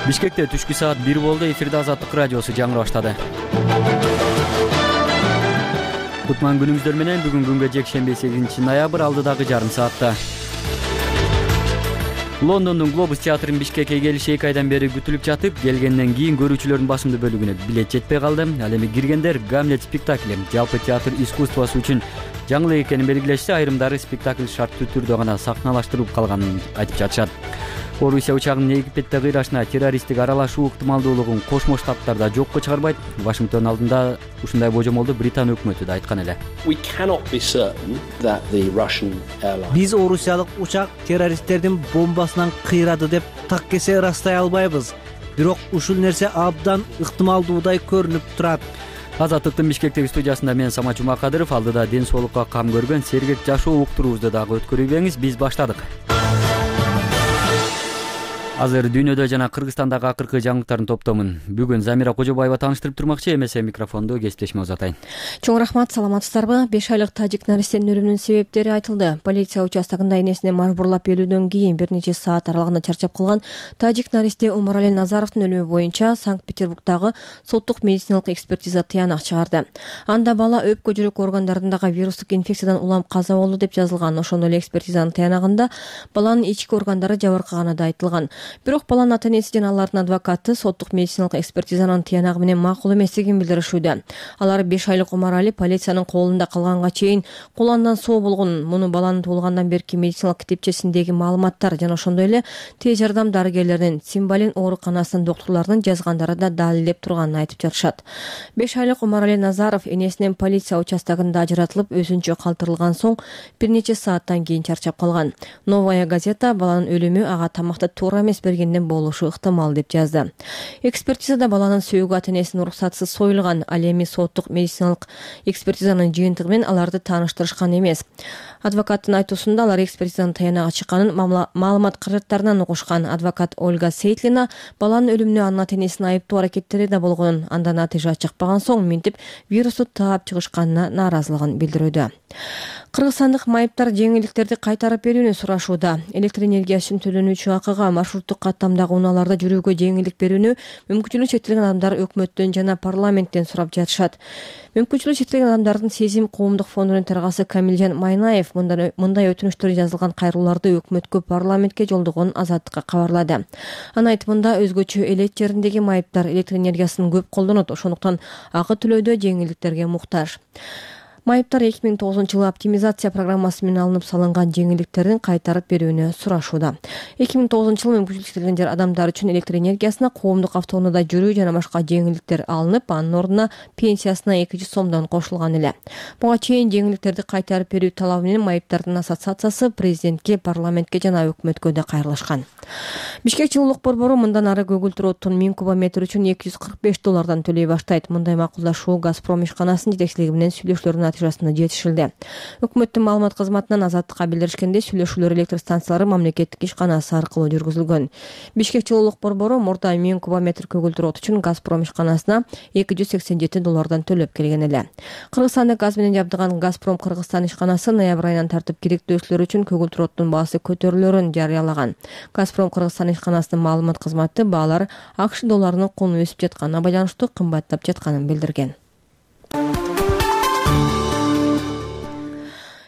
Бишкекте түшкү саат 1 болду. Эфирде Азаттык радиосу жаңы баштады. Кутман күнүңүздөр менен бүгүн күнгө жекшемби 8 ноябрь алдыдагы жарым саатта. Лондондун Глобус театрынын Бишкекке келиши 2 айдан бери күтүлүп жатып, келгенден кийин көрүүчүлөрдүн басымдуу бөлүгүнө билет жетпей калды. Ал эми киргендер Гамлет спектакли жалпы театр искусствосу үчүн жаңылык экенин белгилешти. Айрымдары спектакль шарттуу түрдө гана сахналаштырылып калганын айтып жатышат. Орусия учагынын Египетте кыйрашына террористтик аралашуу ыктымалдуулугун Кошмо Штаттарда жокко чыгарбайт. Вашингтон алдында ушундай божомолду Британ өкмөтү да айткан эле. Биз орусиялык учак террористтердин бомбасынан кыйрады деп так кесе ырастай албайбыз. Бирок ушул нерсе абдан ыктымалдуудай көрүнүп турат. Азаттыктын Бишкектеги студиясында мен Самат Жумакадыров, алдыда ден соолукка кам көргөн сергек жашоо уктуруубузду дагы өткөрүбеңиз. Биз баштадык. Азыр дүйнөдө жана Кыргызстандагы акыркы жаңылыктардын топтомун бүгүн Замира Кожобаева тааныштырып турмакчы. Эмесе микрофонду кесиптешиме узатайын. Чоң рахмат, саламатсыздарбы? 5 айлык тажик наристенин өлүмүнүн себептери айтылды. Полиция участогунда энесине мажбурлап берүүдөн кийин бир нече саат аралыгында чарчап калган тажик наристе Умарали Назаровдун өлүмү боюнча Санкт-Петербургдагы соттук медициналык экспертиза тыянак чыгарды. Анда бала өпкө жүрөк органдарындагы вирустук инфекциядан улам каза болду деп жазылган. Ошондой эле экспертизанын тыянагында баланын ички органдары жабыркаганы да айтылган. Бирок баланын ата-энеси жана алардын адвокаты соттук медициналык экспертизанын тыянагы менен макул эместигин билдиришүүдө. Алар 5 айлык Умарали полициянын колунда калганга чейин куландан соо болгон. Муну баланын туулгандан берки медициналык китепчесиндеги маалыматтар жана ошондой эле тез жардам дарыгерлеринин, Симбалин ооруканасынын доктурларынын жазгандары да далилдеп турганын айтып жатышат. 5 айлык Умарали Назаров энесинен полиция участогунда ажыратылып, өзүнчө калтырылган соң бир нече сааттан кийин чарчап калган. Новая газета баланын өлүмү ага тамакты туура эмес бергенден болушу ыктымал деп жазды. Экспертизада баланын сөөгү ата-энесинин уруксатысыз союлган. Ал эми соттук медициналык экспертизанын жыйынтыгы менен аларды тааныштырышкан эмес. Адвокаттын айтуусунда алар экспертизанын таянагы чыкканын маалымат каражаттарынан угушкан. Адвокат Ольга Сейтлина баланын өлүмүнө анын ата-энесинин айыптуу аракеттери да болгонун, андан натыйжа чыкпаган соң минтип вирусту таап чыгышканына нааразылыгын билдирүүдө. Кыргызстандык майыптар жеңилдиктерди кайтарып берүүнү сурашууда. Электр энергиясын төлөнүүчү акыга маршруттук каттамдагы унааларда жүрүүгө жеңилдик берүүнү мүмкүнчүлүгү чектелген адамдар өкмөттөн жана парламенттен сурап жатышат. Мүмкүнчүлүгү чектелген адамдардын Сезим коомдук фондунун төрагасы Камилжан Майнаев мындай өтүнүчтөр жазылган кайрылууларды өкмөткө, парламентке жолдогонун Азаттыкка кабарлады. Анын айтымында өзгөчө элет жериндеги майыптар электр энергиясын көп колдонот, ошондуктан акы төлөөдө жеңилдиктерге муктаж. Майыптар 2009-жылы оптимизация программасы менен алынып салынган жеңилдиктердин кайтарып берүүнү сурашууда. 2009-жылы мүмкүнчүлүгү чектелген адамдар үчүн электр энергиясына, коомдук автоунаада жүрүү жана башка жеңилдиктер алынып, анын ордуна пенсиясына 200 сомдон кошулган эле. Буга чейин жеңилдиктерди кайтарып берүү талабы менен майыптардын ассоциациясы президентке, парламентке жана өкмөткө да кайрылышкан. Бишкек жылуулук борбору мындан ары көгүлтүр оттун 1000 кубометр үчүн $245 төлөй баштайт. Мындай макулдашуу Газпром ишканасынын жетекчилиги менен сүйлөшүүлөрдүн натыйжасында жетишилди. Өкмөттүн маалымат кызматынан Азаттыкка билдиришкенде, сүйлөшүүлөр электр станциялары мамлекеттик ишканасы аркылуу жүргүзүлгөн. Бишкек жылуулук борбору мурда 1000 кубометр көгүлтүр от үчүн Газпром ишканасына $287 төлөп келген эле. Кыргызстанды газ менен жабдыган Газпром Кыргызстан ишканасы ноябрь айынан тартып керектөөчүлөр үчүн көгүлтүр оттун баасы көтөрүлөрүн жарыялаган. Газпром Кыргызстан ишканасынын маалымат кызматы баалар АКШ долларынын куну өсүп жатканына байланыштуу кымбаттап жатканын билдирген.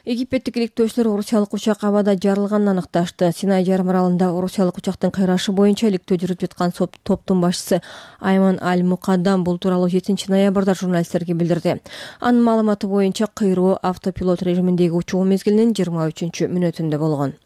Египеттик иликтөөчүлөр орусиялык учак абада жарылганын аныкташты. Синай жарым аралында орусиялык учактын кыйрашы боюнча иликтөө жүрүп жаткан топтун башчысы Айман Аль-Мукаддам бул тууралуу 7 ноябрда журналисттерге билдирди. Анын маалыматы боюнча кыйроо автопилот режиминдеги учуу мезгилинин 23-мүнөтүндө болгон.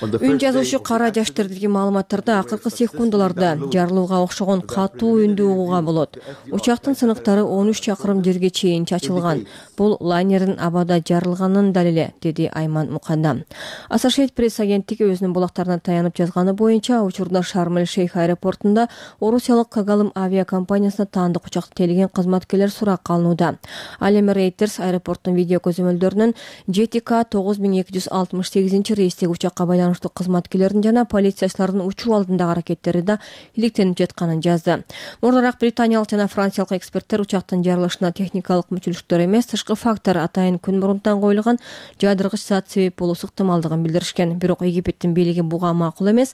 Үн жазуучу Кара Жаштырдагы маалыматтарда акыркы секундаларда жарылууга окшогон катуу үндү угууга болот. Учактын сыныктары 13 чакырым жерге чейин чачылган. Бул лайнердин абада жарылганын далили, деди Айман Мукаддам. Associated Press агенттиги өзүнүн булактарына таянып жазганы боюнча, учурда Шарм-эль-Шейх аэропортунда орусиялык Кагалым авиакомпаниясына таандык учакта тейлеген кызматкерлер суракка алынууда. Ал эми Reuters аэропорттун видео көзөмөлдөрүнөн JTK 9268 рейстеги учакка байланыштуу байланыштуу кызматкерлердин жана полициячылардын учуу алдындагы аракеттери да иликтенип жатканын жазды. Мурдараак британиялык жана франциялык эксперттер учактын жарылышына техникалык мүчүлүктөр эмес, тышкы фактор атайын күн мурунтан коюлган жаадыргыч зат себеп болуусу ыктымалдыгын билдиришкен. Бирок Египеттин бийлиги буга макул эмес.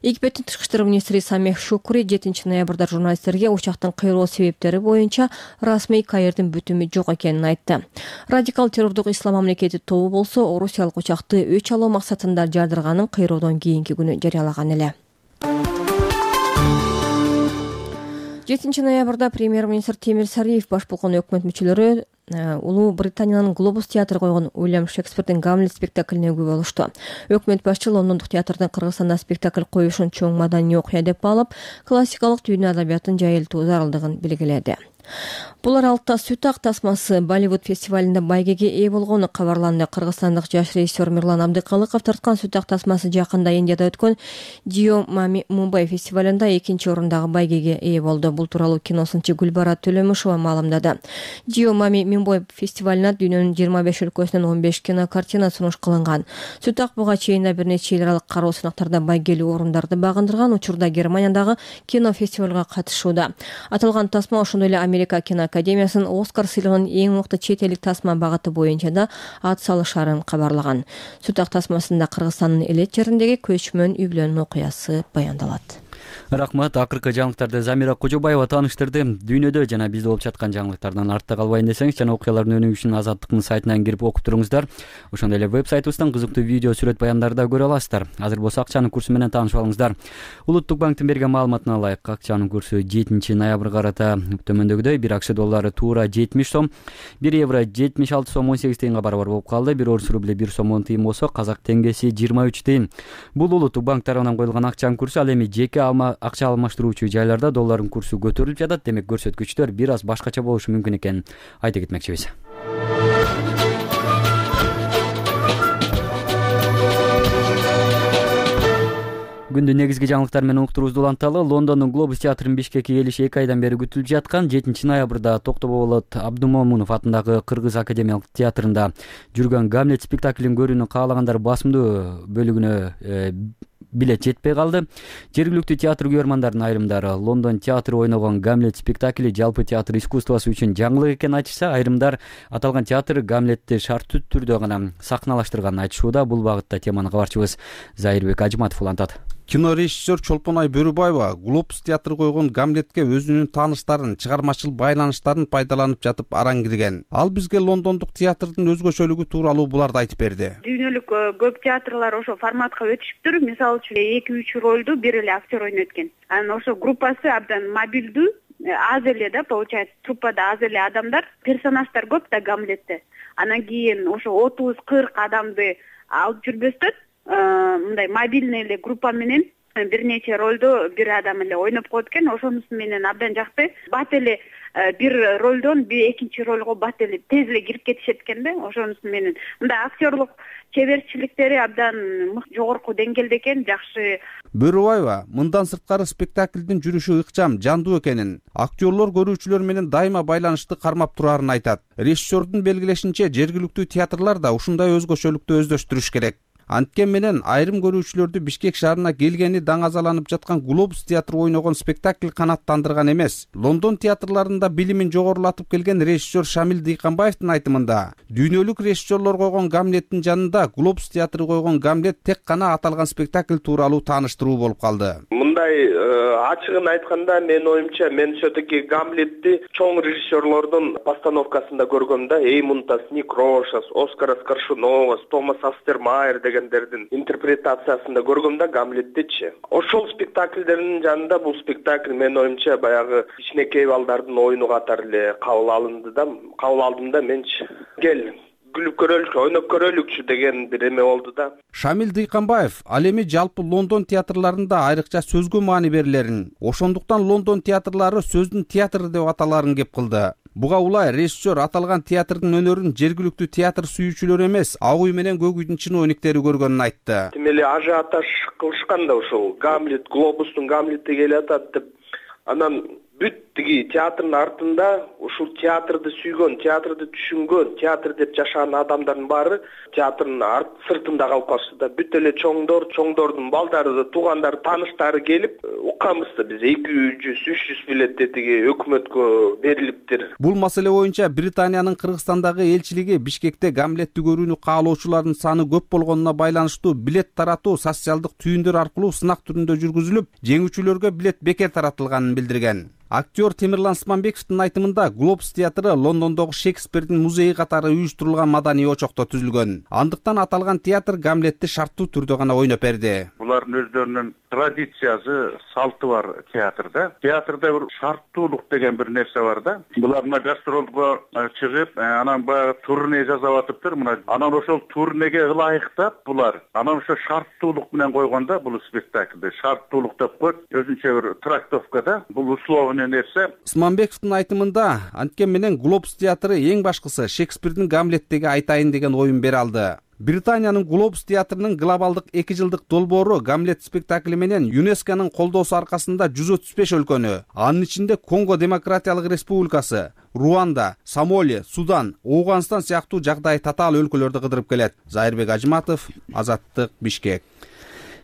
Египеттин тышкы иштер министри Самех Шукури 7 ноябрда журналисттерге учактын кыйроо себептери боюнча расмий Каирдин бүтүмү жок экенин айтты. Радикал террордук ислам мамлекети тобу болсо орусиялык учакты өч алуу максатында жаадырганын кыйроодон кийинки күнү жарыялаган эле. 7 ноябрда премьер-министр Темир Сариев баш болгон өкмөт мүчөлөрү Улуу Британиянын Глобус театры койгон Уильям Шекспирдин Гамлет спектаклине күбө болушту. Өкмөт башчы Лондондук театрдын Кыргызстанда спектакль коюшун чоң маданий окуя деп баалап, классикалык дүйнө адабиятын жайылтуу зарылдыгын белгиледи. Бул аралыкта Сүт ак тасмасы Болливуд фестивалында байгеге ээ болгону кабарланды. Кыргызстандык жаш режиссер Мирлан Абдыкалыков тарткан Сүт ак тасмасы жакында Индияда өткөн Дио Мами Мумбай фестивалында 2-чи орундагы байгеге ээ болду. Бул тууралуу киносунчу Гүлбара Төлөмүшова маалымдады. Дио Мами Мумбай фестивалына дүйнөнүн 25 өлкөсүнөн 15 кинокартина сунуш кылынган. Сүт ак буга чейин да бир нече эл аралык кароо сынактарда байгелүү орундарды багындырган, учурда Германиядагы кинофестивалга катышууда. Аталган тасма ошондой эле Америка киноакадемиясынын Оскар сыйлыгынын эң мыкты чет элдик тасма багыты боюнча да ат салышарын кабарлаган. Сүт ак тасмасында Кыргызстандын Элет жериндеги көчмөн үй бүлөнүн окуясы баяндалат. Рахмат. Акыркы жаңылыктарды Замира Кожобаева тааныштырды. Дүйнөдө жана бизде болуп жаткан жаңылыктардан артта калбайын десеңиз, жана окуялардын өнүгүшүн Азаттыктын сайтынан кирип окуп туруңуздар. Ошондой эле веб-сайтыбыздан кызыктуу видео, сүрөт баяндарды да көрө аласыздар. Азыр болсо акчанын курсу менен таанышып алыңыздар. Улуттук банктын берген маалыматына ылайык, акчанын курсу 7 ноябрга карата төмөндөгүдөй: 1 акча доллары туура 70 сом, 1 евро 76 сом 18 тыйынга барабар болуп калды. 1 орус рубль 1 сом 10 тыйын болсо, казак теңгеси 23 тыйын. Бул улуттук банк тарабынан коюлган акчанын курсу. Ал эми жеке акча алмаштыруучу жайларда доллардын курсу көтөрүлүп жатат. Демек көрсөткүчтөр бир аз башкача болушу мүмкүн экенин айта кетмекчибиз. Күндүн негизги жаңылыктары менен уктуруубузду уланталы. Лондондун Глобус театрынын Бишкекке келиши 2 айдан бери күтүлүп жаткан. 7 ноябрда Токтоболот Абдумомунов атындагы Кыргыз академиялык театрында жүргөн Гамлет спектаклин көрүүнү каалагандар басымдуу бөлүгүнө билет жетпей калды. Жергиликтүү театр күйөрмандардын айрымдары Лондон театры ойногон Гамлет спектакли жалпы театр искусствосу үчүн жаңылык экенин айтышса, айрымдар аталган театр Гамлетти шарттуу түрдө гана сахналаштырганын айтышууда. Бул багытта теманы кабарчыбыз Зайырбек Ажыматов улантат. Кинорежиссер Чолпонай Бөрүбаева Глобус театры койгон Гамлетке өзүнүн тааныштарын, чыгармачыл байланыштарын пайдаланып жатып араң кирген. Ал бизге лондондук театрдын өзгөчөлүгү тууралуу буларды айтып берди. Дүйнөлүк көп театрлар ошо форматка өтүшүптүр. Мисалы үчүн 2-3 ролду бир эле актер ойнойт экен. Анан ошо группасы абдан мобилдүү, аз эле да, получается, труппада аз эле адамдар, персонаждар көп да Гамлетте. Анан кийин ошо 30-40 адамды алып жүрбөстөн мындай мобильный эле группа менен бир нече ролду бир адам эле ойноп коет экен. Ошонусу менен абдан жакты. Бат эле бир ролдон экинчи ролго бат эле тез эле кирип кетишет экен да. Ошонусу менен мындай актерлук чеберчиликтери абдан жогорку деңгээлде экен, жакшы. Бөрүбаева мындан сырткары спектаклдин жүрүшү ыкчам, жандуу экенин, актерлор көрүүчүлөр менен дайыма байланышты кармап турарын айтат. Режиссердун белгилешинче, жергиликтүү театрлар да ушундай өзгөчөлүктү өздөштүрүш керек. Анткен менен айрым көрүүчүлөрдү Бишкек шаарына келгени даңазаланып жаткан Глобус театры ойногон спектакль канааттандырган эмес. Лондон театрларында билимин жогорулатып келген режиссер Шамил Дыйканбаевдин айтымында, дүйнөлүк режиссерлор койгон Гамлеттин жанында Глобус театры койгон Гамлет тек гана аталган спектакль тууралуу тааныштыруу болуп калды. Мындай ачыгын айтканда, менин оюмча, мен все-таки Гамлетти чоң режиссерлордун постановкасында көргөм да. Эймунтас, Ник Рошас, Оскарас Коршуновас, Томас Астермайер дегендердин интерпретациясында көргөм да Гамлеттичи. Ошол спектакльдердин жанында бул спектакль менин оюмча баягы кичинекей балдардын оюну катары эле кабыл алдым да менчи. Кел күлүп көрөлүкчү, ойноп көрөлүкчү деген бир эме болду да. Шамил Дыйканбаев ал эми жалпы Лондон театрларында айрыкча сөзгө маани берилерин, ошондуктан Лондон театрлары сөздүн театры деп аталарын кеп кылды. Буга улай режиссер аталган театрдын өнөрүн жергиликтүү театр сүйүүчүлөр эмес, ак үй менен көк үйдүн чиновниктери көргөнүн айтты. Тим эле ажиотаж кылышкан да ушул Гамлет, Глобустун Гамлети келатат деп. Анан бүт тиги театрдын артында ушул театрды сүйгөн, театрды түшүнгөн, театр деп жашаган адамдардын баары театрдын сыртында калып калышты да. Бүт эле чоңдордун балдары, туугандары, тааныштары келип укканбыз да биз 200-300 билетти тиги өкмөткө берилиптир. Бул маселе боюнча Британиянын Кыргызстандагы элчилиги Бишкекте Гамлетти көрүүнү каалоочулардын саны көп болгонуна байланыштуу билет таратуу социалдык түйүндөр аркылуу сынак түрүндө жүргүзүлүп, жеңүүчүлөргө билет бекер таратылганын билдирген. Актер Темирлан Сманбековдун айтымында Глобус театры Лондондогу Шекспирдин музейи катары уюштурулган маданий очокто түзүлгөн. Андыктан аталган театр Гамлетти шарттуу түрдө гана ойноп берди. Булардын өздөрүнүн традициясы, салты бар театрда. Театрда бир шарттуулук деген бир нерсе бар да. Булар мына гастролго чыгып, анан баягы турне жасап атыптыр. Анан ошол турнеге ылайыктап булар анан ошо шарттуулук менен койгондо бул спектакльде шарттуулук деп коет. Өзүнчө бир трактовкада бул условный нерсе. Сманбековдун айтымында анткен менен Глобус театры эң башкысы Шекспирдин Гамлеттеги айтайын деген оюн бере алды. Британиянын Глобус театрынын глобалдык 2 жылдык долбоору Гамлет спектакли менен ЮНЕСКОнун колдоосу аркасында 135 өлкөнү, анын ичинде Конго Демократиялык Республикасы, Руанда, Сомали, Судан, Ооганстан сыяктуу жагдай татаал өлкөлөрдү кыдырып келет. Зайырбек Ажыматов, Азаттык, Бишкек.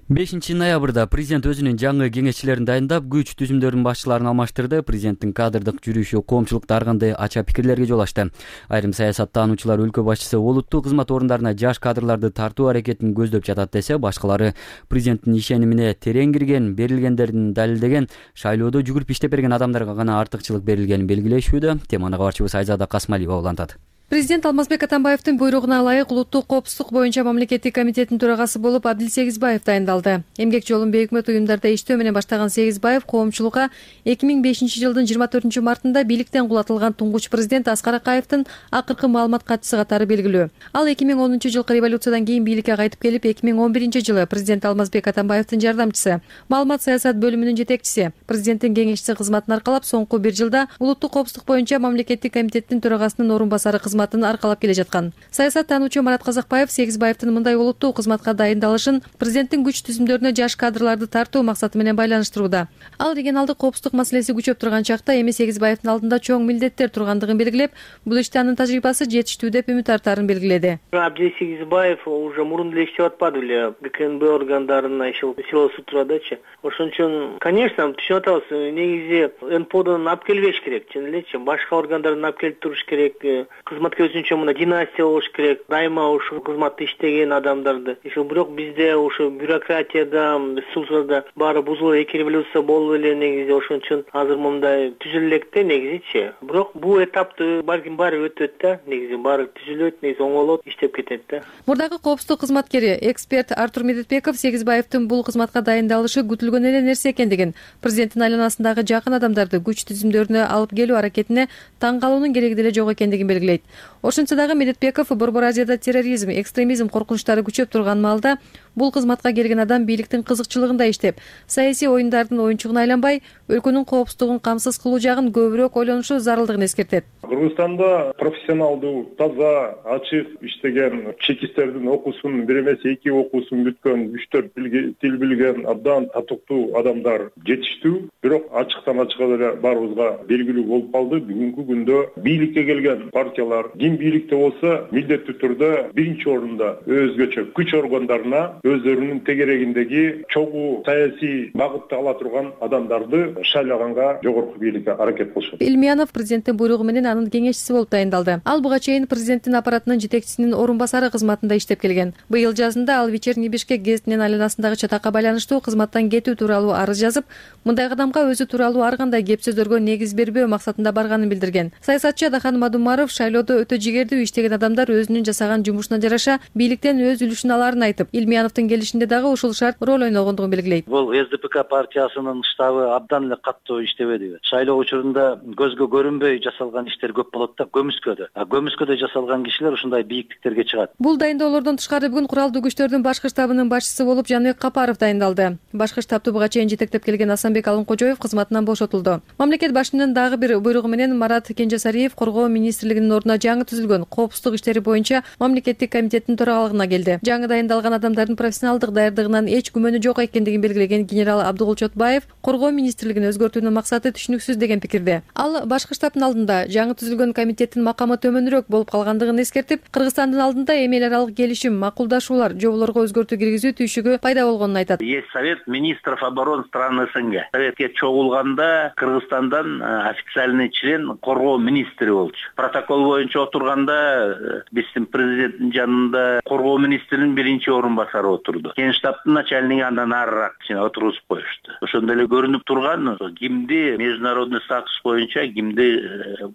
5-ноябрда президент өзүнүн жаңы кеңешчилерин дайындап, күч түзүмдөрүнүн башчыларын алмаштырды. Президенттин кадрдык жүрүшү коомчулукта ар кандай ача пикирлерге жол ачты. Айрым саясаттануучулар өлкө башчысы олуттуу кызмат орундарына жаш кадрларды тартуу аракетин көздөп жатат десе, башкалары президенттин ишенимине терең кирген, берилгендерин далилдеген, шайлоодо жүгүрүп иштеп берген адамдарга гана артыкчылык берилгенин белгилешүүдө. Теманы кабарчыбыз Айзада Касмалиева улантат. Президент Алмазбек Атамбаевдин буйругуна ылайык улуттук коопсуздук боюнча мамлекеттик комитеттин төрагасы болуп Абдил Сегизбаев дайындалды. Эмгек жолун бейөкмөт уюмдарда иштөө менен баштаган Сегизбаев коомчулукка 2005 жылдын 24 мартында бийликтен кулатылган туңгуч президент Аскар Акаевдин акыркы маалымат катчысы катары белгилүү. Ал 2010 жылкы революциядан кийин бийликке кайтып келип, 2011 жылы президент Алмазбек Атамбаевдин жардамчысы, маалымат саясат бөлүмүнүн жетекчиси, президенттин кеңешчиси кызматын аркалап, соңку 1 жылда улуттук коопсуздук боюнча мамлекеттик комитеттин төрагасынын орун басары кызматын аркалап келе жаткан. Саясаттануучу Марат Казакбаев Сегизбаевдин мындай улуттуу кызматка дайындалышын президенттин күч түзүмдөрүнө жаш кадрларды тартуу максаты менен байланыштырууда. Ал регионалдык коопсуздук маселеси күчөп турган чакта эми Сегизбаевдин алдында чоң милдеттер тургандыгын белгилеп, бул иште анын тажрыйбасы жетиштүү деп үмүт артаарын белгиледи. Абдил Сегизбаев уже мурун эле иштеп атпады беле, ГКНБ органдарына силосу турадычы. Ошон үчүн, конечно, түшүнүп атабыз, негизи НПОдон алып келбеш керек, чын элечи, башка органдардан алып келип туруш керек, кызматка өзүнчө мына династия болуш керек, дайыма ушул кызматты иштеген адамдарды. Бирок бизде ушу бюрократияда, ресурсlarda баары бузулуп, эки революция болду эле негизи, ошон үчүн азыр мындай түзүлө электе негизичи. Бирок бул этапты балким баары өтөт да, негизи баары түзүлөт, негизи оңолот, иштеп кетет да. Мурдагы коопсуздук кызматкери, эксперт Артур Медетбеков Сегизбаевдин бул кызматка дайындалышы күтүлгөн эле нерсе экендигин, президенттин айланасындагы жакын адамдарды күч түзүмдөрүнө алып келүү аракетине таң калуунун кереги деле жок экендигин белгилейт. Ошентсе дагы Медетбеков Борбор Азияда терроризм, экстремизм коркунучтары күчөп турган маалда бул кызматка келген адам бийликтин кызыкчылыгында иштеп, саясий оюндардын оюнчугуна айланбай, өлкөнүн коопсуздугун камсыз кылуу жагын көбүрөөк ойлонушу зарылдыгын эскертет. Кыргызстанда профессионалдуу, таза, ачык иштеген, чекисттердин окуусун, бир эмес 2 окуусун бүткөн, 3-4 тил билген, абдан татыктуу адамдар жетиштүү. Бирок ачыктан ачыкка деле баарыбызга белгилүү болуп калды. Бүгүнкү күндө бийликке келген партиялар ким бийликте болсо, милдеттүү түрдө биринчи орунда өзгөчө күч органдарына өздөрүнүн тегерегиндеги чогуу саясий багытты ала турган адамдарды шайлаганга жогорку бийликке аракет кылышат. Илмиянов президенттин буйругу менен анын кеңешчиси болуп дайындалды. Ал буга чейин президенттин аппаратынын жетекчисинин орун басары кызматында иштеп келген. Быйыл жазында ал Вечерний Бишкек гезитинин айланасындагы чатакка байланыштуу кызматтан кетүү тууралуу арыз жазып, мындай кадамга өзү тууралуу ар кандай кеп сөздөргө негиз бербөө максатында барганын билдирген. Саясатчы Адахан Мадумаров шайлоодо өтө жигердүү иштеген адамдар өзүнүн жасаган жумушуна жараша бийликтен өз үлүшүн алаарын айтып, Илмияновдун келишинде дагы ушул шарт роль ойногондугун белгилейт. Бул СДПК партиясынын штабы абдан эле каттуу иштебедиби? Шайлоо учурунда көзгө көрүнбөй жасалган иштер көп болот да, көмүскөдө жасалган кишилер ушундай бийиктиктерге чыгат. Бул дайындоолордон тышкары бүгүн куралдуу күчтөрдүн башкы штабынын башчысы болуп Жаныбек Капаров дайындалды. Башкы штабты буга чейин жетектеп келген Асанбек Алынкожоев кызматынан бошотулду. Мамлекет башчынын дагы бир буйругу менен Марат Кенжесариев Коргоо министрлигинин ордуна жаңы түзүлгөн коопсуздук иштери боюнча мамлекеттик комитеттин төрагалыгына келди. Жаңы дайындалган адамдардын профессионалдык даярдыгынан эч күмөнү жок экендигин белгилеген генерал Абдыгул Чотбаев коргоо министрлигин өзгөртүүнүн максаты түшүнүксүз деген пикирде. Ал башкы штабтын алдында жаңы түзүлгөн комитеттин макамы төмөнүрөөк болуп калгандыгын эскертип, Кыргызстандын алдында эми эл аралык келишим, макулдашуулар, жоболорго өзгөртүү киргизүү түйшүгү пайда болгонун айтат. Есть Совет министров обороны стран СНГ. Советке чогулганда Кыргызстандан официальный член коргоо министри болчу. Протокол боюнча отурганда биздин президенттин жанында коргоо министринин биринчи орун басары отурду. Генштабтын начальниги андан арыраак отургузуп коюшту. Ошондо эле көрүнүп турган кимди международный статус боюнча кимди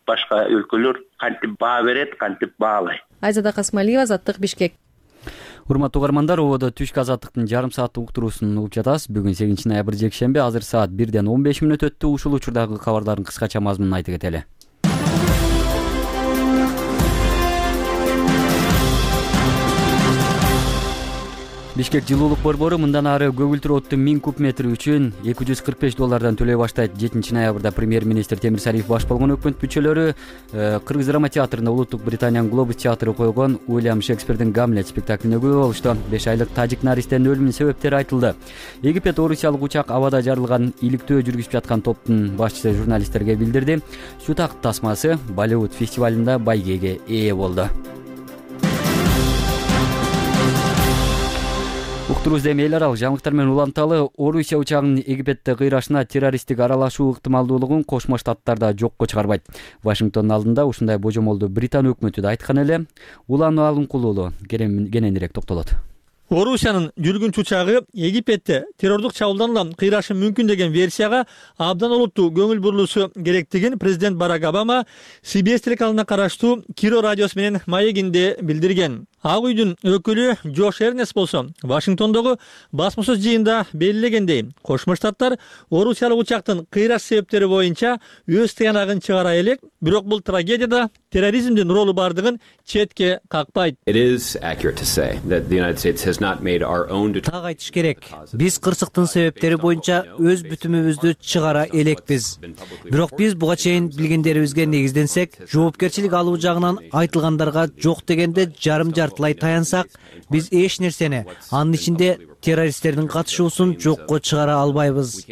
башка өлкөлөр кантип баа берет, кантип баалайт. Айзада Касмалиева, Азаттык, Бишкек. Урматтуу угармандар, ободо түшкү азаттыктын жарым сааттык уктуруусун угуп жатасыз. Бүгүн 8 ноябрь жекшемби, азыр саат 1:15 өттү. Ушул учурдагы кабардардын кыскача мазмунун айтып кетели. Бишкек жылуулук борбору мындан ары көгүлтүр отту 1000 куб метри үчүн $245 төлөй баштайт. 7 ноябрда премьер-министр Темир Салиев баш болгон өкмөт мүчөлөрү Кыргыз драма театрында Улуттук Британиянын Глобус театры койгон Уильям Шекспирдин Гамлет спектаклине күбө болушту. 5 айлык тажик наристенин өлүмүнүн себептери айтылды. Египет орусиялык учак абада жарылган иликтөө жүргүзүп жаткан топтун башчысы журналисттерге билдирди. Шутак тасмасы Болливуд фестивалында байгеге ээ болду. Уктуруубузда эми эл аралык жаңылыктар менен уланталы. Орусия учагынын Египетте кыйрашына террористтик аралашуу ыктымалдуулугун Кошмо Штаттар да жокко чыгарбайт. Вашингтондун алдында ушундай божомолду Британ өкмөтү да айткан эле. Улан Алымкулуулу кененирээк токтолот. Орусиянын жүргүнчү учагы Египетте террордук чабуулдан кыйрашы мүмкүн деген версияга абдан олуттуу көңүл бурулуусу керектигин президент Барак Обама CBS телеканалына караштуу Киро радиосу менен маегинде билдирген. Ак үйдүн өкүлү Джош Эрнест болсо Вашингтондогу басмасөз жыйында белгилегендей, Кошмо Штаттар орусиялык учактын кыйраш себептери боюнча өз тыянагын чыгара элек, бирок бул трагедияда терроризмдин ролу бардыгын четке какпайт. Так айтыш керек. Биз кырсыктын себептери боюнча өз бүтүмүбүздү чыгара элекпиз. Бирок биз буга чейин билгендерибизге негизденсек, жоопкерчилик алуу жагынан айтылгандарга жок дегенде жарым жартылай таянсак, биз эч нерсени, анын ичинде террористтердин катышуусун жокко чыгара албайбыз.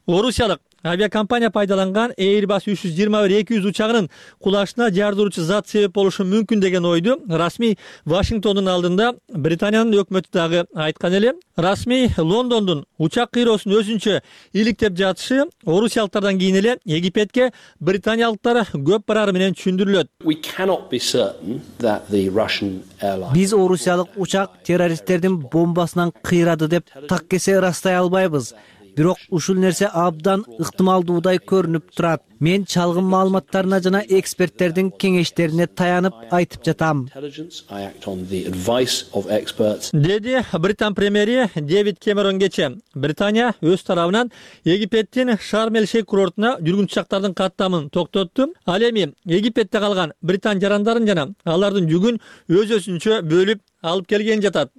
Орусиялык авиакомпания пайдаланган Airbus 321-200 учагынын кулашына жардыруучу зат себеп болушу мүмкүн деген ойду расмий Вашингтондун алдында Британиянын өкмөтү дагы айткан эле. Расмий Лондондун учак кыйроосун өзүнчө иликтеп жатышы орусиялыктардан кийин эле Египетке британиялыктар көп барары менен түшүндүрүлөт. Биз орусиялык учак террористтердин бомбасынан кыйрады деп так кесе ырастай албайбыз. Бирок ушул нерсе абдан ыктымалдуудай көрүнүп турат. Мен чалгын маалыматтарына жана эксперттердин кеңештерине таянып айтып жатам, деди Британ премьери Дэвид Кэмерон кече. Британия өз тарабынан Египеттин Шарм-эль-Шейх курортуна жүргүнчү учактардын каттамын токтотту. Ал эми Египетте калган британ жарандарын жана алардын жүгүн өз-өзүнчө бөлүп алып келген жатат.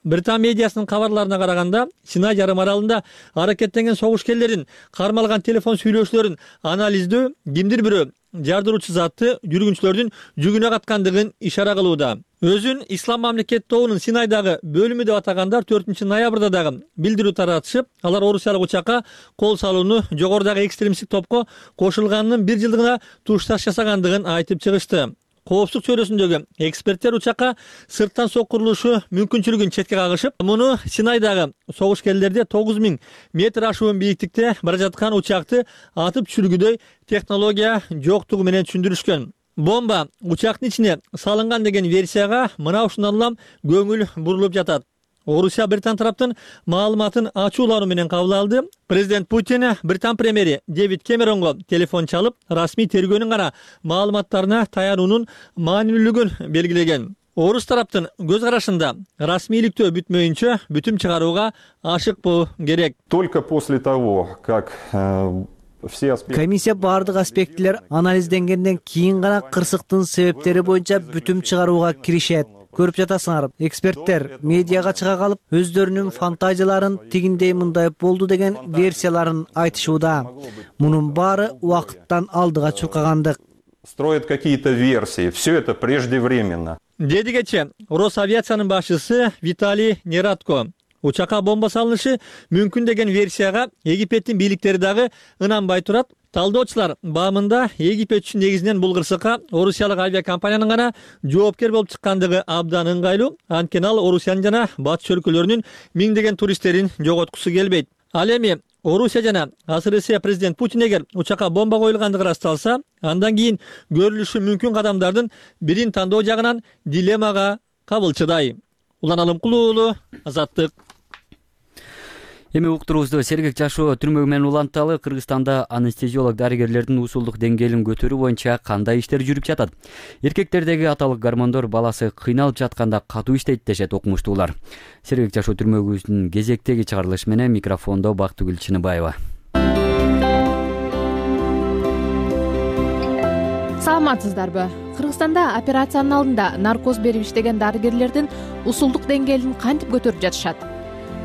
Британ медиасынын кабарларына караганда, Синай жарым аралында аракеттенген согушкерлердин кармалган телефон сүйлөшүүлөрүн анализдөө кимдир бирөө жардыруучу затты жүргүнчүлөрдүн жүгүнө каткандыгын ишара кылууда. Өзүн Ислам мамлекет тобунун Синайдагы бөлүмү деп атагандар 4 ноябрда дагы билдирүү таратышып, алар орусиялык учакка кол салууну жогорудагы экстремисттик топко кошулганынын 1 жылдыгына тушташ жасагандыгын айтып чыгышты. Коопсуздук чөйрөсүндөгү эксперттер учакка сырттан соккурулушу мүмкүнчүлүгүн четке кагышып, муну Синайдагы согушкерлерде 9000 метр ашуун бийиктикте бара жаткан учакты атып түшүргүдөй технология жоктугу менен түшүндүрүшкөн. Бомба учактын ичине салынган деген версияга мына ушундан улам көңүл бурулуп жатат. Орусия Британ тараптын маалыматын ачуулануу менен кабыл алды. Президент Путин Британ премьери Дэвид Кэмеронго телефон чалып, расмий тергөөнүн гана маалыматтарына таянуунун маанилүүлүгүн белгилеген. Орус тараптын көз карашында расмийликтөө бүтмөйүнчө бүтүм чыгарууга ашыкпоо керек. Только после того, как комиссия бардык аспектилер анализденгенден кийин гана кырсыктын себептери боюнча бүтүм чыгарууга киришет. Көрүп жатасыңар, эксперттер медиага чыга калып, өздөрүнүн фантазияларын тигиндей мындай болду деген версияларын айтышууда. Мунун баары убакыттан алдыга чуркагандык. Строят какие-то версии. Все это преждевременно. деди кечээ Росавиациянын башчысы Виталий Нерадко. Учакка бомба салынышы мүмкүн деген версияга Египеттин бийликтери дагы ынанбай турат. Талдоочулар баамында Египет үчүн негизинен бул кырсыкка орусиялык авиакомпаниянын гана жоопкер болуп чыккандыгы абдан ыңгайлуу. Анткени ал Орусиянын жана батыш өлкөлөрүнүн миңдеген туристтерин жоготкусу келбейт. Ал эми Орусия жана СРСР президент Путин эгер учакка бомба коюлгандыгы ырасталса, андан кийин көрүлүшү мүмкүн кадамдардын бирин тандоо жагынан дилеммага кабылчыдай. Улан Алымкулуу уулу, Азаттык. Эми уктурубузду сергек жашоо түрмөгү менен уланталы. Кыргызстанда анестезиолог дарыгерлердин усулдук деңгээлин көтөрүү боюнча кандай иштер жүрүп жатат? Эркектердеги аталык гормондор баласы кыйналып жатканда катуу иштейт дешет окумуштуулар. Сергек жашоо түрмөгүбүздүн кезектеги чыгарылышы менен микрофондо Бактыгүл Чыныбаева. Саламатсыздарбы? Кыргызстанда операциянын алдында наркоз берип иштеген дарыгерлердин усулдук деңгээлин кантип көтөрүп жатышат?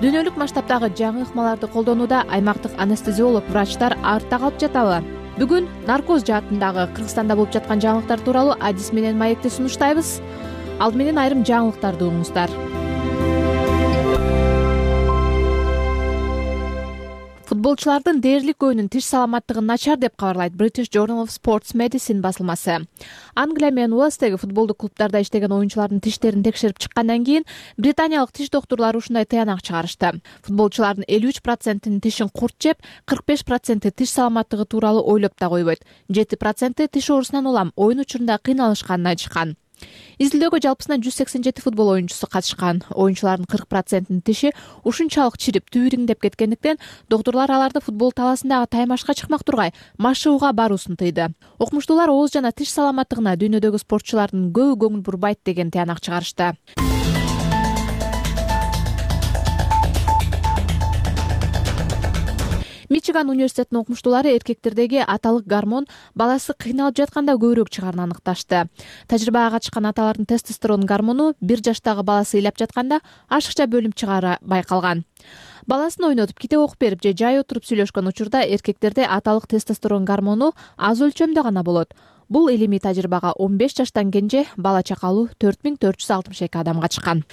Дүйнөлүк масштабтагы жаңы ыкмаларды колдонууда аймактык анестезиолог врачтар артта калып жатабы? Бүгүн наркоз жаатындагы Кыргызстанда болуп жаткан жаңылыктар тууралуу адис менен маекти сунуштайбыз. Ал менен айрым жаңылыктарды угуңуздар. Футболчулардын дээрлик көбүнүн тиш саламаттыгы начар деп кабарлайт British Journal of Sports Medicine басылмасы. Англия менен Уэльстеги футболдук клубтарда иштеген оюнчулардын тиштерин текшерип чыккандан кийин британиялык тиш доктурлары ушундай тыянак чыгарышты. Футболчулардын 53%-ин тишин курт жеп, 45%-и тиш саламаттыгы тууралуу ойлоп да койбойт. 7%-и тиш оорусунан улам оюн учурунда кыйналышканын айтышкан. Изилдөөгө жалпысынан 187 футбол оюнчусу катышкан. Оюнчулардын 40%-ин тиши ушунчалык чирип түбүриңдеп кеткендиктен доктурлар аларды футбол талаасындагы таймашка чыкмак тургай машыгууга баруусун тыйды. Окумуштуулар ооз жана тиш саламаттыгына дүйнөдөгү спортчулардын көбү көңүл бурбайт деген тыянак чыгарышты. Мичиган университетинин окумуштуулары эркектердеги аталык гормон баласы кыйналып жатканда көбүрөөк чыгаарын аныкташты. Тажрыйбага катышкан аталардын тестостерон гормону 1 жаштагы баласы ыйлап жатканда ашыкча бөлүнүп чыгаары байкалган. Баласын ойнотуп, китеп окуп берип же жай отуруп сүйлөшкөн учурда эркектерде аталык тестостерон гормону аз өлчөмдө гана болот. Бул илимий тажрыйбага 15 жаштан кенже бала чакалуу 4462 адам катышкан.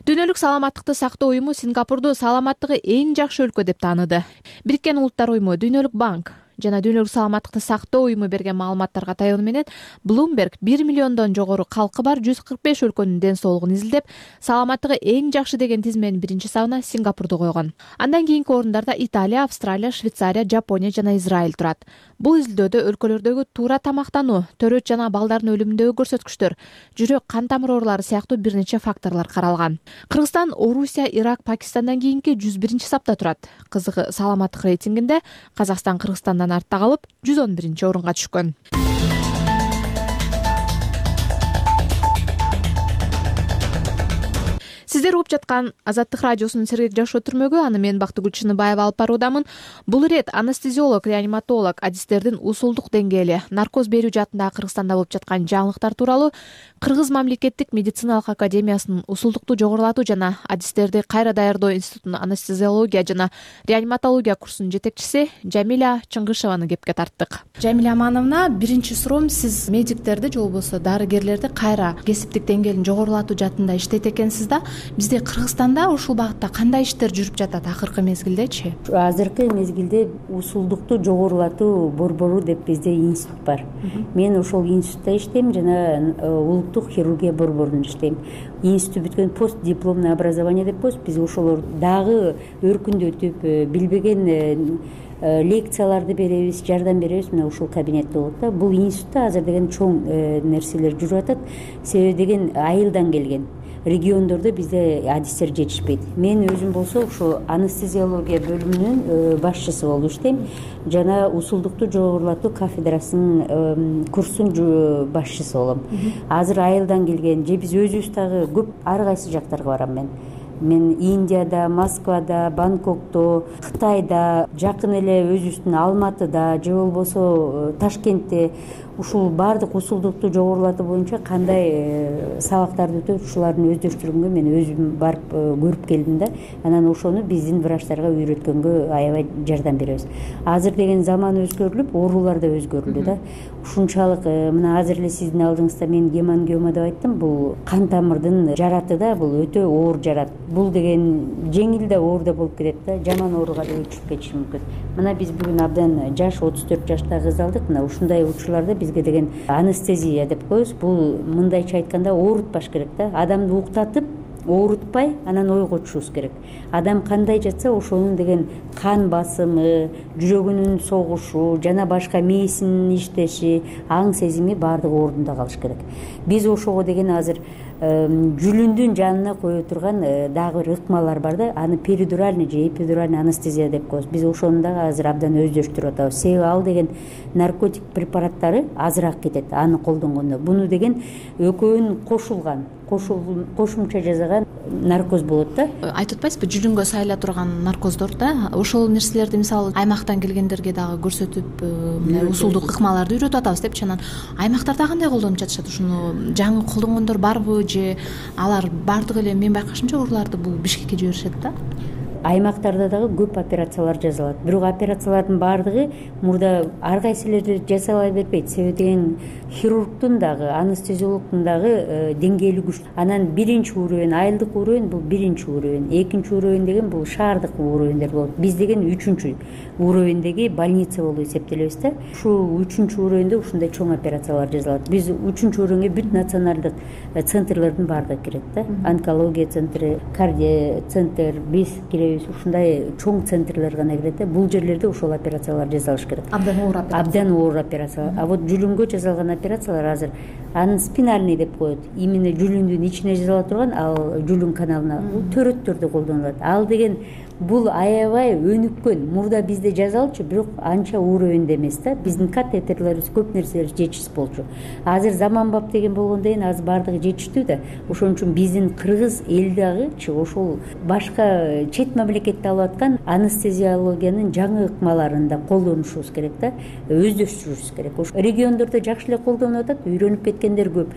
Дүйнөлүк саламаттыкты сактоо уюму Сингапурду саламаттыгы эң жакшы өлкө деп тааныды. Бириккен Улуттар уюму, Дүйнөлүк банк жана Дүйнөлүк саламаттыкты сактоо уюму берген маалыматтарга таянуу менен Bloomberg 1 миллиондон жогору калкы бар 145 өлкөнүн ден соолугун изилдеп, саламаттыгы эң жакшы деген тизменин биринчи сабына Сингапурду койгон. Андан кийинки орундарда Италия, Австралия, Швейцария, Жапония жана Израиль турат. Бул изилдөөдө өлкөлөрдөгү туура тамактануу, төрөт жана балдардын өлүмүндөгү көрсөткүчтөр, жүрөк, кан тамыр оорулары сыяктуу бир нече факторлор каралган. Кыргызстан Орусия, Ирак, Пакистандан кийинки 101 сапта турат. Кызыгы саламаттык рейтингинде Казакстан Кыргызстандан артта калып 111 орунга түшкөн. Сиздер угуп жаткан Азаттык радиосунун сергек жашоо түрмөгү, аны мен Бактыгүл Чыныбаева алып баруудамын. Бул ирет анестезиолог, реаниматолог, адистердин усулдук деңгээли, наркоз берүү жаатындагы Кыргызстанда болуп жаткан жаңылыктар тууралуу Кыргыз мамлекеттик медициналык академиясынын усулдукту жогорулатуу жана адистерди кайра даярдоо институтунун анестезиология жана реаниматология курсунун жетекчиси Жамиля Чыңгышеваны кепке тарттык. Жамиля Амановна, биринчи суроом, сиз медиктерди же болбосо дарыгерлерди кайра кесиптик деңгээлин жогорулатуу жаатында иштейт экенсиз да. Бизде Кыргызстанда ушул багытта кандай иштер жүрүп жатат акыркы мезгилдечи? Азыркы мезгилде усулдукту жогорулатуу борбору деп бизде институт бар. Мен ошол институтта иштейм жана улуттук хирургия борборунда иштейм. Институт бүткөн постдипломный образование деп коебуз. Биз ошолор дагы өркүндөтүп, билбеген лекцияларды беребиз, жардам беребиз. Мына ушул кабинетте болот да. Бул институтта азыр деген чоң нерселер жүрүп атат. Себеби деген айылдан келген. Региондордо бизде адистер жетишпейт. Мен өзүм болсо ушул анестезиология бөлүмүнүн башчысы болуп иштейм жана усулдукту жогорулатуу кафедрасынын курсунун башчысы болом. Азыр айылдан келген же биз өзүбүз дагы көп ар кайсы жактарга барам мен. Мен Индияда, Москвада, Бангкокто, Кытайда, жакын эле өзүбүздүн Алматыда же болбосо Ташкентте ушул баардык усулдукту жогорулатуу боюнча кандай сабактарды өтөт, ушулардын өздөштүргөнгө мен өзүм барып көрүп келдим да. Анан ошону биздин врачтарга үйрөткөнгө аябай жардам беребиз. Азыр деген заман өзгөрүлүп, оорулар да өзгөрүлдү да. Ушунчалык мына азыр эле сиздин алдыңызда мен гемангиома деп айттым. Бул кан тамырдын жараты да, бул өтө оор жарат. Бул деген жеңил да оор да болуп кетет да, жаман ооруга да өтүшүп кетиши мүмкүн. Мына биз бүгүн абдан жаш 34 жаштагы кыз алдык. Мына ушундай учурларда бизге деген анестезия деп коебуз. Бул мындайча айтканда оорутпаш керек да. Адамды уктатып, оорутпай, анан ойго түшүбүз керек. Адам кандай жатса, ошонун деген кан басымы, жүрөгүнүн согушу жана башка мээсинин иштеши, аң сезими баардыгы ордунда калыш керек. Биз ошого деген азыр жүлүндүн жанына кое турган дагы бир ыкмалар бар да. Аны перидуральный же эпидуральный анестезия деп коебуз. Биз ошону дагы азыр абдан өздөштүрүп атабыз. Себеби ал деген наркотик препараттары азыраак кетет аны колдонгондо. Буну деген экөөнүн кошулган, кошумча жасаган наркоз болот да. Айтып атпайсызбы, жүлүнгө сайыла турган наркоздор да. Ошол нерселерди мисалы аймактан келгендерге дагы көрсөтүп, усулдук ыкмаларды үйрөтүп атабыз депчи. Анан аймактарда кандай колдонуп жатышат? Ушуну жаңы колдонгондор барбы же алар баардыгы эле мен байкашымча урууларды бул Бишкекке жиберишет да? Аймактарда дагы көп операциялар жасалат. Бирок операциялардын баардыгы мурда ар кайсы эле жасала бербейт. Себеби деген хирургдун дагы, анестезиологдун дагы деңгээли күчтүү. Анан биринчи уровень, айылдык уровень бул биринчи уровень, экинчи уровень деген бул шаардык уровеньдер болот. Биз деген үчүнчү уровеньдеги больница болуп эсептелебиз да. Ушул үчүнчү уровеньде ушундай чоң операциялар жасалат. Биз үчүнчү уровеньге бүт националдык центрлердин баардыгы кирет да. Онкология центри, кардио центр, биз киребиз. Ушундай чоң центрлер гана кирет да. Бул жерлерде ошол операциялар жасалыш керек. Абдан оор операция. Абдан оор операция. А вот жүлүнгө жасалган операциялар азыр аны спинальный деп коет. Именно жүлүндүн ичине жасала турган, ал жүлүн каналына төрөттөрдө колдонулат. Ал деген бул аябай өнүккөн. Мурда бизде жасалчу, бирок анча уровеньде эмес да. Биздин катетерлерибиз көп нерселер жетишсиз болчу. Азыр заманбап деген болгондон кийин азыр баардыгы жетиштүү да. Ошон үчүн биздин кыргыз эл дагычы ошол башка чет мамлекетте алып аткан анестезиологиянын жаңы ыкмаларын да колдонушубуз керек да. Өздөштүрүшүбүз керек. Ошо региондордо жакшы эле колдонуп атат, үйрөнүп кеткендер көп.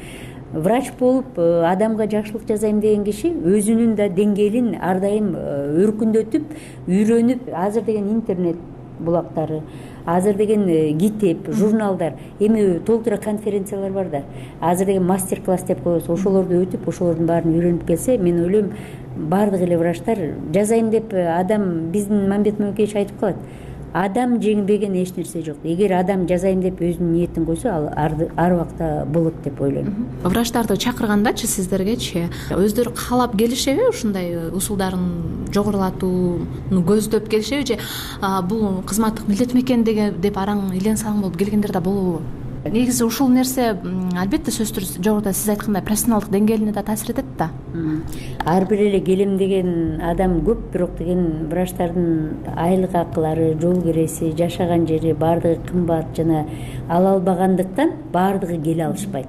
Врач болуп адамга жакшылык жасайм деген киши өзүнүн да деңгээлин ар дайым өркүндөтүп, үйрөнүп, азыр деген интернет булактары, азыр деген китеп, журналдар, эми толтура конференциялар бар да. Азыр деген мастер-класс деп коебуз. Ошолорду өтүп, ошолордун баарын үйрөнүп келсе, мен ойлойм баардык эле врачтар жасайм деп адам биздин Мамбет Мөкеевич айтып калат. Адам жеңбеген эч нерсе жок. Эгер адам жасайм деп өзүнүн ниетин койсо, ал ар убакта болот деп ойлойм. Врачтарды чакыргандачы сиздергечи өздөрү каалап келишеби? Ушундай усулдарын жогорулатууну көздөп келишеби же бул кызматтык милдетим экен деп араң илен салың болуп келгендер да болобу? Негизи ушул нерсе албетте сөзсүз жогоруда сиз айткандай профессионалдык деңгээлине да таасир этет да. Ар бир эле келем деген адам көп, бирок деген врачтардын айлык акылары, жол киреси, жашаган жери баардыгы кымбат жана ала албагандыктан баардыгы келе алышпайт.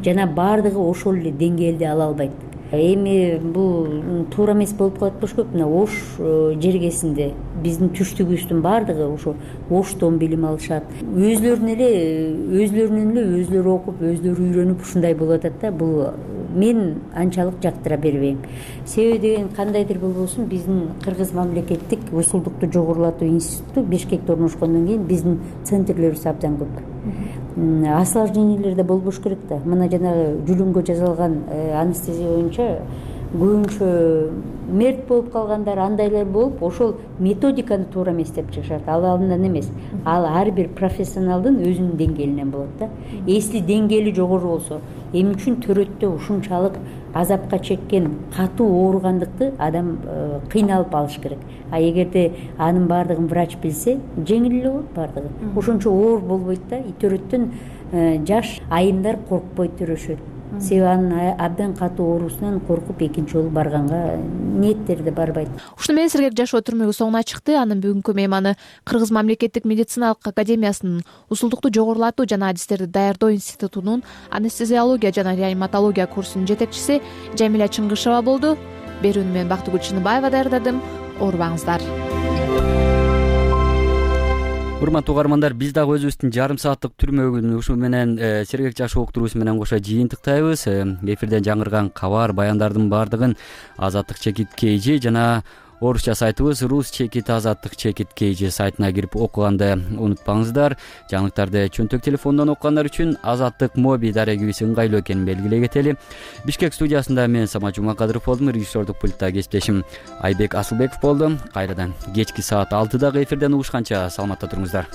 Жана баардыгы ошол эле деңгээлде ала албайт. Эми бул туура эмес болуп калат болушкөк. Мына Ош жергесинде биздин түштүгүбүздүн баардыгы ошо Оштон билим алышат. Өзлөрүнөн эле өзлөрү окуп, өзлөрү үйрөнүп ушундай болуп атат да. Бул мен анчалык жактыра бербейм. Себеби деген кандайдыр болбосун биздин Кыргыз мамлекеттик усулдукту жогорулатуу институту Бишкекте орношкондон кийин биздин центрлерибиз абдан көп. Осложнениялер да болбош керек да. Мына жанагы жүлүнгө жасалган анестезия боюнча көбүнчө мерт болуп калгандар, андайлар болуп, ошол методиканы туура эмес деп чыгышат. Ал андан эмес. Ал ар бир профессионалдын өзүнүн деңгээлинен болот да. Эсли деңгээли жогору болсо, эмне үчүн төрөттө ушунчалык азапка чеккен, катуу ооругандыкты адам кыйналып алыш керек. А эгерде анын баардыгын врач билсе, жеңил эле болот баардыгы. Ошончо оор болбойт да. Төрөттөн жаш айымдар коркпой төрөшөт. Себеби анын абдан катуу оорусунан коркуп экинчи жолу барганга ниеттери да барбайт. Ушуну менен Сергек жашоо түрмөгү соңуна чыкты. Анын бүгүнкү мейманы Кыргыз мамлекеттик медициналык академиясынын усулдукту жогорулатуу жана адистерди даярдоо институтунун анестезиология жана реаниматология курсунун жетекчиси Жамиля Чыңгышева болду. Берүүнү мен Бактыгүл Чыныбаева даярдадым. Оорубаңыздар. урматтуу угармандар, биз дагы өзүбүздүн жарым сааттык түрмөгүн ушу менен сергек жашоо уктуруусу менен кошо жыйынтыктайбыз. Эфирден жаңырган кабар, баяндардын баардыгын Азаттык чекит KG жана орусча сайтыбыз Rus чекит Азаттык чекит KG сайтына кирип окуганды унутпаңыздар. Жаңылыктарды чөнтөк телефондон окугандар үчүн Азаттык моби дарегибиз ыңгайлуу экенин белгилей кетели. Бишкек студиясында мен Самат Жумакадыров болдум, режиссердук пультта кесиптешим Айбек Асылбеков болду. Кайрадан кечки саат 6дагы эфирден угушканча саламатта туруңуздар.